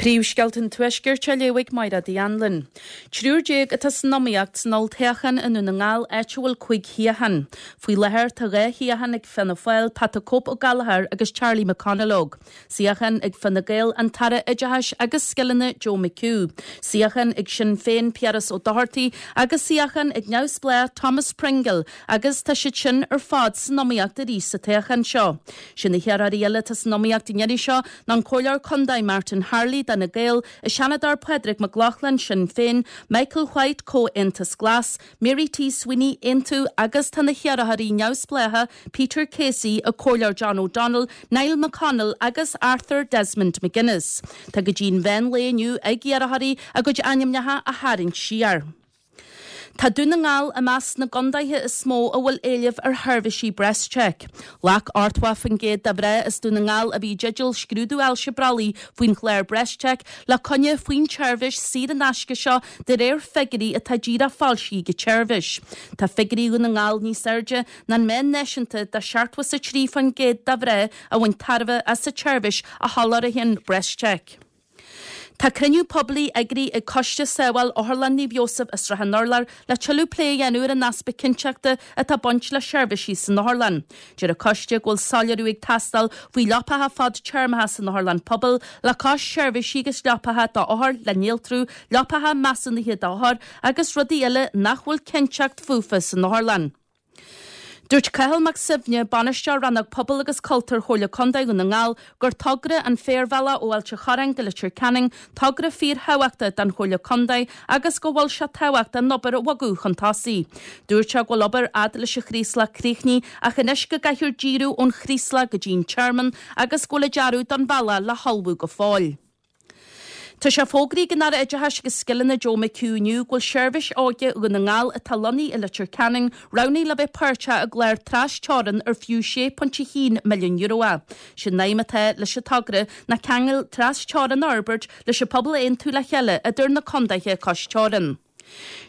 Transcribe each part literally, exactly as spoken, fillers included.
Príomhscéalta an Tuaiscirt á léamh ag Máire Anlin. Triúr déag atá san iomaíocht san olltoghchán i nDún na nGall áit a bhfuil cúig shuíochán. Faoi láthair tá dhá shuíochán ag Fianna Fáil, Pat the Cope Ó Gallchóir agus Charlie McConalogue. Suíochán ag Fine Gael an tAire Oideachais agus Scileanna Joe McHugh. Suíochán ag Sinn Féin Piaras Ó Dochartaigh agus suíochán ag Neamhspleách Thomas Pringle agus tá siad sin ar fad san iomaíocht arís sa toghchán seo. Sin na hiarrthóirí eile atá san iomaíocht an iarraidh seo ná an Comhairleoir Contae Martin Harley d'Fhine Gael, an Seanadóir Pádraig Mac Lochlainn Sinn Féin, Michael White Comhaontas Glas, Mary T. Sweeney Aontú agus tá na hiarrthóirí neamhspleácha Peter Casey an Comhairleoir John O'Donnell, Niall McConnell agus Arthur Desmond McGuinness. Tá go dtí an meán lae inniu ag iarrthóirí a gcuid ainmneacha a tharraingt siar. Tá Dún na nGall i measc na gcontaetha is mó a bhfuil éileamh ar sheirbhísí BreastCheck. Ghlac ochtó faoin gcéad de mhná as Dún na nGall a bhí i dteideal scrúdú ailse brollaigh faoin chlár BreastCheck le coinne faoin tseirbhís saor in aisce seo de réir figiúirí atá díreach foilsithe ag an tseirbhís. Tá figiúirí Dhún na nGall níos airde ná an meán náisiúnta de seachtó a trí faoin gcéad de mhná a bhain tairbhe as an tseirbhís a sholáthraíonn BreastCheck. Tá cruinniú poiblí eagraithe ag Coiste Sábháil Otharlann Naomh Iósaf i Srath an Urláir le tuilleadh plé a dhéanamh ar an easpa cinnteachta atá ag baint le seirbhísí san otharlann. Deir an coiste go bhfuil soiléiriú ag teastáil faoi leapacha fadtéarmacha san otharlann pobail le cois seirbhísí agus leapacha d'othair le néaltrú, leapacha measúnaithe d'othair agus rudaí eile nach bhfuil cinnteacht fúthu san otharlann. Dúirt Cathal Mac Suibhne bainisteoir rannóg Pobail agus Cultúir Chomhairle Contae Dhún na nGall gur togra an féarbhealach ó Ailt an Chorráin go Leitir Ceanainn togra fíorthábhachtach don Chomhairle Contae agus go bhfuil sé tábhachtach an obair a bhogadh chun tosaigh. Dúirt sé go bhfuil obair fhad leis an Chraoslach críochnaithe ach anois go gcaithfear díriú ón Chraoslach go dtí an Tearmann agus go bhfuil an dearadh don bhealach le hullmhú go fóill. Tá sé fógraithe ag an Aire Oideachais agus Scileanna Joe McHugh inniu go bhfuil seirbhís óige Dhún na nGall atá lonnaithe i Leitir Ceanainn roghnaithe le bheith páirteach i gclár trasteorann ar fiú sé pointe a haon milliún euro é. Sin aidhm atá leis an togra ná ceangal trasteorann a fhorbairt leis an pobal a aontú le chéile idir na contaetha cois teorann.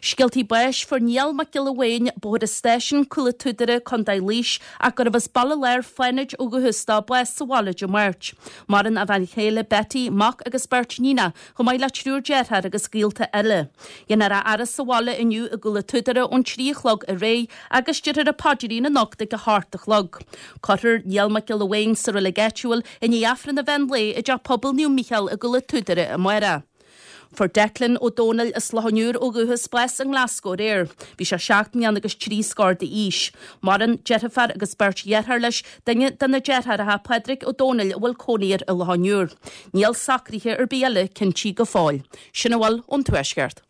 Scéaltaí báis fuair Niall Mac Giolla Bhéin, Bóthar an Stáisiúin, Cúil an tSúdaire, Contae Laois, ach gurbh as Baile Láir Fánaid ó dhúchas dó bás sa bhaile Dé Máirt. Maireann a bhean chéile Betty, mac agus beirt níonacha, chomh maith le triúr deartháir agus gaolta eile. Déanfar a fhaire sa bhaile inniu i gCúil an tSúdaire ón trí a chlog ar aghaidh agus déarfar an paidrín anocht ag a hocht a chlog. Cuirfear Niall Mac Giolla Bhéin sa reilig áitiúil i ndiaidh Aifreann an mheán lae i dteach pobail Naomh Mícheál i gCúil an tSúdaire amárach. Fuair Declan Ó Dónaill as Loch an Iúir ó dhúchas bás i nGlasgow aréir. Bhí sé seacht mbliana agus trí scór d'aois. Maireann deirfiúr agus beirt dheartháir leis duine de na deartháireacha Pádraig Ó Dónaill a bhfuil cónaí air i Loch an Iúir. Níl socruithe ar bith eile cinntithe go fóill. Sin a bhfuil ón Tuaisceart.